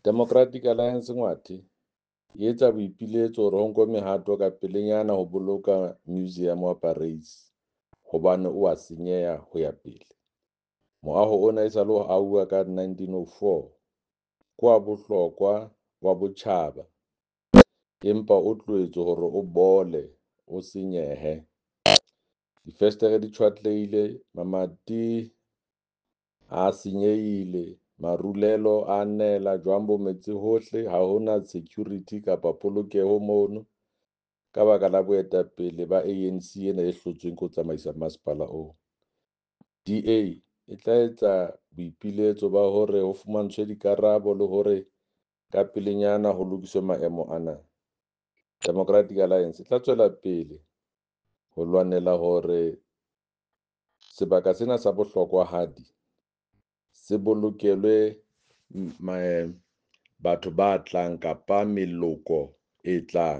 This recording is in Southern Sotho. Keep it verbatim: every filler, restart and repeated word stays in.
Democratic Alliance Ngwathe e etsa boipiletso hore ho nkwe mehato ka pelenyana ho boloka Museum wa Parys hobane o a senyeha ho ya pele. Moaho ona e sale o ahuwa ka nineteen oh four, ke wa bohlokwa wa botjhaba empa o tlohetswe hore o bole, o senyehe. Difestere di tjhwatlehile, mamati a senyehile, marulelo a nela, jwang bo metse hohle. Ha hona security kapa polokeho mono ka baka la boetapele ba A N C ena e hlotsweng ke ho tsamaisa masepala oo. D A e tla etsa boipiletso ba hore ho fumantshwe dikarabo le hore ka pelenyana ho lokiswe maemo ana. Democratic Alliance e tla tswela pele ho lwanela hore sebaka sena sa bohlokwahadi se bolokelwe batho ba tlang kapa meloko e tlang.